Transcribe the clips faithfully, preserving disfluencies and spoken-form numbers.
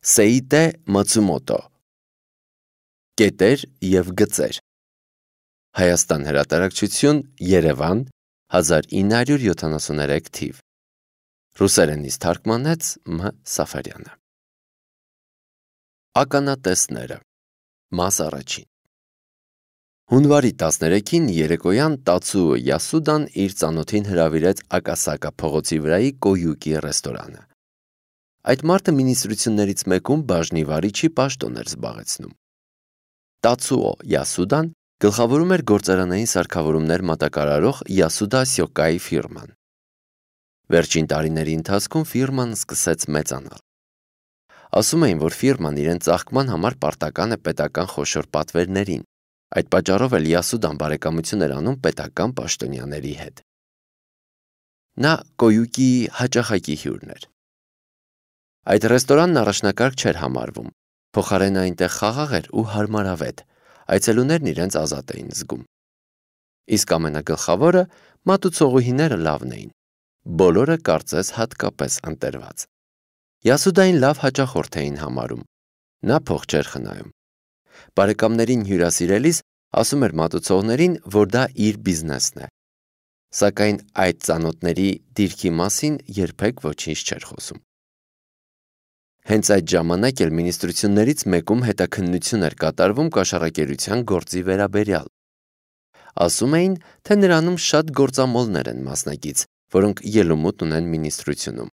Սեիտե Մացումոտո Կետեր և գծեր Հայաստան հրատարակչություն Երևան հազար ինը հարյուր յոթանասուններեք թիվ Ռուսերենից թարգմանեց Մ. Սաֆարյանը Ականատեսները Մաս առաջին Հունվարի տասներեքին երեկոյան Տացուո Յասուդան իր ծանոթին հրավիրեց Ակասակա փողոցի վրայի Կոյուկի ռեստորանը։ Այդ մարդը մինիստրություններից մեկում բաժնի վարիչի պաշտոն էր զբաղեցնում։ Տացուո Յասուդան գլխավորում էր գործարանային սարքավորումներ մատակարարող Յասուդա Սյոկայի ֆիրման։ Վերջին տարիների ընթացքում ֆիրման սկսեց մեծանալ։ Ասում էին, որ ֆիրման իրեն ծաղկման համար պարտական է պետական խոշոր պատվերներին, այդ պատճառով էլ Յասուդան բարեկամություն էր անում պետական պաշտոնյաների հետ։ Նա Կոյուկիի հաճախակի հյուրն էր։ Այդ ռեստորանն առաջնակարգ չէր համարվում, փոխարենը այնտեղ խաղաղ էր ու հարմարավետ, այցելուներն իրենց ազատ էին զգում։ Իսկ ամենագլխավորը մատուցողուհիները լավն էին, բոլորը կարծես հատկապես ընտրված։ Յասուդային լավ հաճախորդ էին համարում, նա փող չէր խնայում։ Բարեկամներին հյուրասիրելիս ասում էր մատուցողներին, որ դա իր բիզնեսն է, սակայն այդ ծանոթների դիրքի մասին երբեք ոչինչ չէր խոսում։ Հենց այդ ժամանակ էլ մինիստրություններից մեկում հետաքննություն էր կատարվում կաշառակերության գործի վերաբերյալ։ Ասում էին, թե նրանում շատ գործամոլներ են մասնակից, որոնք ելումուտ ունեն մինիստրությունում։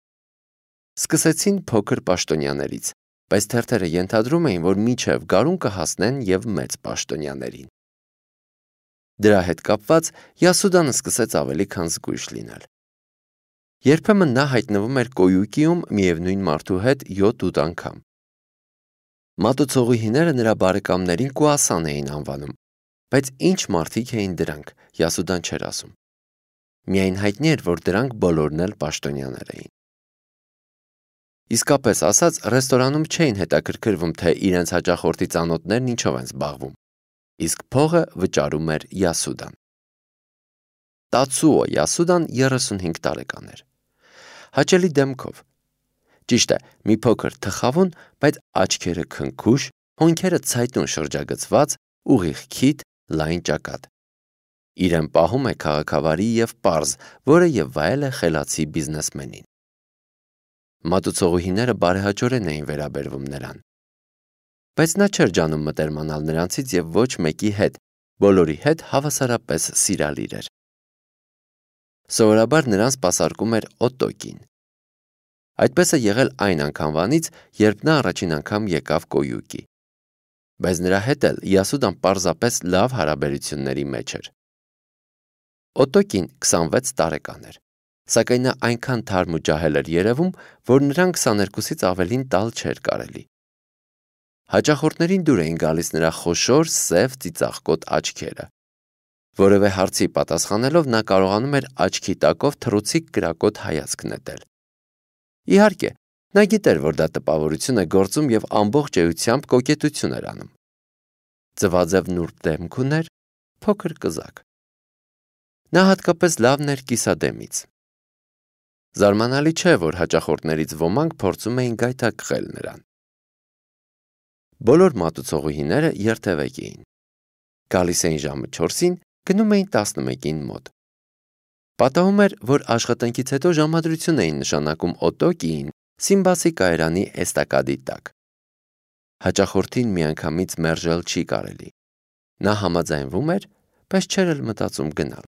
Սկսեցին փոքր պաշտոնյաներից, բայց թերթերը ենթադրում էին, որ մինչև գարուն կհասնեն և մեծ պաշտոնյաներին։ Դրա հետ կապված Յասուդանը սկսեց ավելի քան զգույշ լինել։ Երբեմն նա հայտնվում էր Կոյուկիում միևնույն մարդու հետ յոթ-ութ անգամ։ Մատուցողուհիները նրա բարեկամներին կուասան էին անվանում, բայց ինչ մարդիկ էին դրանք, Յասուդան չէր ասում։ Միայն հայտնի էր, որ դրանք բոլորն էլ պաշտոնյաներ էին։ Իսկապես ասած, ռեստորանում չէին հետաքրքրվում, թե իրենց հաճախորդի ծանոթներն ինչով են զբաղվում, իսկ փողը վճարում էր Յասուդան։ Տացուո Յասուդան երեսունհինգ տարեկան էր։ Հաճելի դեմքով։ Ճիշտ է, մի փոքր թխավուն, բայց աչքերը քնքուշ, հոնքերը ցայտուն շրջագծված, ուղիղ քիթ, լայն ճակատ։ Իրեն պահում է քաղաքավարի և պարզ, որը և վայել է խելացի բիզնեսմենին։ Մատուցողուհիները բարեհաճորեն էին վերաբերվում նրան։ Բայց նա չէր ջանում մտերմանալ նրանցից և ոչ մեկի հետ, բոլորի հետ հավասարապես սիրալիր էր։ Սովորաբար նրան սպասարկում էր Օտոկին։ Այդպես է եղել այն անգամվանից, երբ նա առաջին անգամ եկավ Կոյուկի։ Բայց նրա հետ էլ Յասուդան պարզապես լավ հարաբերությունների մեջ էր։ Օտոկին քսանվեց տարեկան էր, սակայն նա այնքան թարմ ու ջահել էր երևում, որ նրան քսաներկուսից ավելին տալ չէր կարելի։ Հաճախորդներին դուր էին գալիս նրա խոշոր, սև ծիծաղկոտ աչքերը։ Որևէ հարցի պատասխանելով նա կարողանում էր աչքի տակով թռուցիկ կրակոտ հայացք նետել։ Իհարկե, նա գիտեր, որ դա տպավորություն է գործում և ամբողջ էությամբ կոկետություն էր անում։ Ձվաձև նուրբ դեմք ուներ, փոքր կզակ։ Նա հատկապես լավն էր կիսադեմից։ Զարմանալի չէ, որ հաճախորդներից ոմանք փորձում էին գայթակղել նրան։ Բոլոր մատուցողուհիները երթևեկի էին։ Գալիս էին ժամը չորսին, գնում էին տասնմեկին մոտ։ Պատահում էր, որ աշխատանքից հետո ժամադրություն էին նշանակում Օտոկիին Սիմբասի կայարանի էստակադի տակ։ Հաճախորդին միանգամից մերժել չի կարելի։ Նա համաձայնվում էր, բայց չէր էլ մտածում գնալ։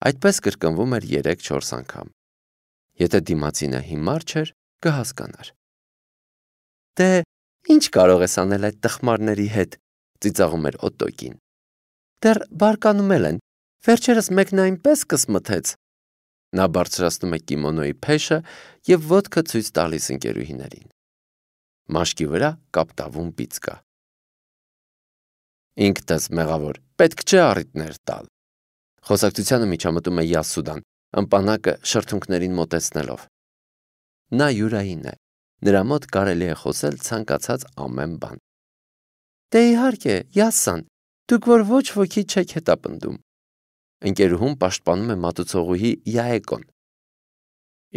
Այդպես կրկնվում էր երեք-չորս անգամ։ Եթե դիմացինը հիմար չէր, կհասկանար։ Դե, ինչ կարող ես անել այդ տխմարների հետ, ծիծաղում էր Օտոկին։ Դեռ բարկանում էլ են, վերջերս մեկն այնպես կսմթեց։ Նա բարձրացնում է կիմոնոյի փեշը և ոտքը ցույց տալիս ընկերուհիներին։ Մաշկի վրա կապտավուն բիծ կա։ Ինքդ ես մեղավոր, պետք չէ առիթներ տալ։ Խոսակցությանը միջամտում է Յասուդան, ըմպանակը շրթունքներին մոտեցնելով։ Նա յուրային է, նրա մոտ կարելի է խոսել ցանկացած ամեն բան։ Դե իհարկե, Յասան, դուք որ ոչ ոքի չեք հետապնդում։ Ընկերուհուն պաշտպանում է մատուցողուհի Յաեկոն։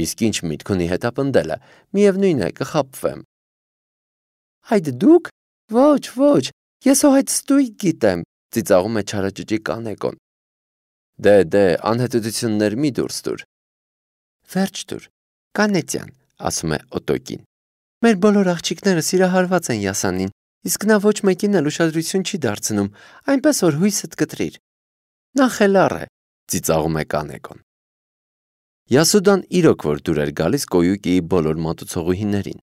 Իսկ ինչ միտք ունի հետապնդելը, միևնույն է, կխաբվեմ։ Այդ դուք։ Ոչ, ոչ, ես հո այդ ստույգ գիտեմ, ծիծաղում է չարաճճի կանեկոն։ Դե, դե, անհետություններ մի դուրս տուր։ Վերջ տուր, կանեցյան, ասում է Օտոկին։ Մեր բոլոր աղջիկները սիրահարված են Յասանին, իսկ նա ոչ մեկին էլ ուշադրություն չի դարձնում, այնպես որ հույսդ կտրիր։ Նա խելառ է, ծիծաղում է կանեկոն։ Յասուդան իրոք որ դուր էր գալիս Կոյուկիի բոլոր մատուցողուհիներին։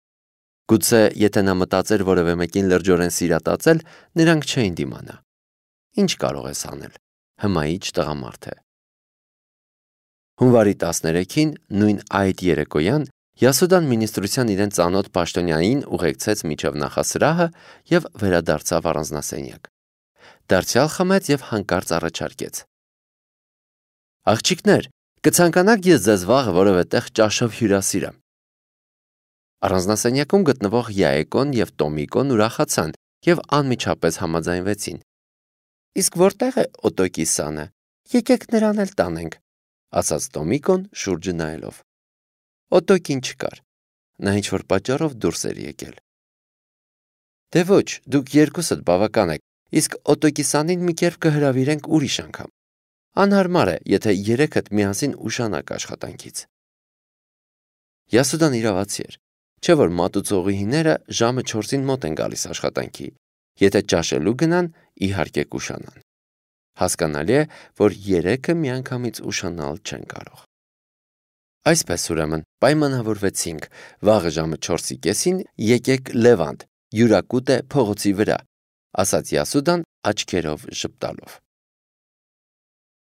Գուցե եթե նա մտածեր որևէ մեկին լրջորեն սիրատացել, նրանք չէին դիմանա։ Ինչ կարող ես անել, հմայիչ տղամարդ է։ Հունվարի տասներեքին, նույն այդ երեկոյան, Յասուդան մինիստրության իրեն ծանոթ պաշտոնյանին ուղեկցեց միջև նախասրահը և վերադարձավ առանձնասենյակ։ Դարձյալ խմեց և հանկարծ առաջարկեց. Աղջիկներ, կցանկանաք ես ձեզ վաղը որևէ տեղ ճաշով հյուրասիրեմ։ Առանձնասենյակում գտնվող Յաեկոն և Տոմիկոն ուրախացան և անմիջապես համաձայնվեցին։ Իսկ որտե՞ղ է Օտոկի-սանը, եկեք նրան էլ տանենք, ասաց Տոմիկոն շուրջը նայելով։ Օտոկին չկար, նա ինչ-որ պատճառով դուրս էր եկել։ Դե ոչ, դուք երկուսդ բավական եք, իսկ Օտոկի-սանին մի կերպ կհրավիրենք ուրիշ անգամ։ Անհարմար է, եթե երեքդ միասին ուշանաք աշխատանքից։ Յասուդան իրավացի էր, չէ որ մատուցողուհիները ժամը չորսին մոտ են գալիս աշխատանքի, եթե ճաշելու գնան, իհարկե կուշանան։ Հասկանալի է, որ երեքը միանգամից ուշանալ չեն կարող։ Այսպես ուրեմն պայմանավորվեցինք, վաղը ժամը չորսի կեսին եկեք Լևանտ, յուրակուտ է փողոցի վրա, ասաց Յասուդան աչքերով ժպտալով։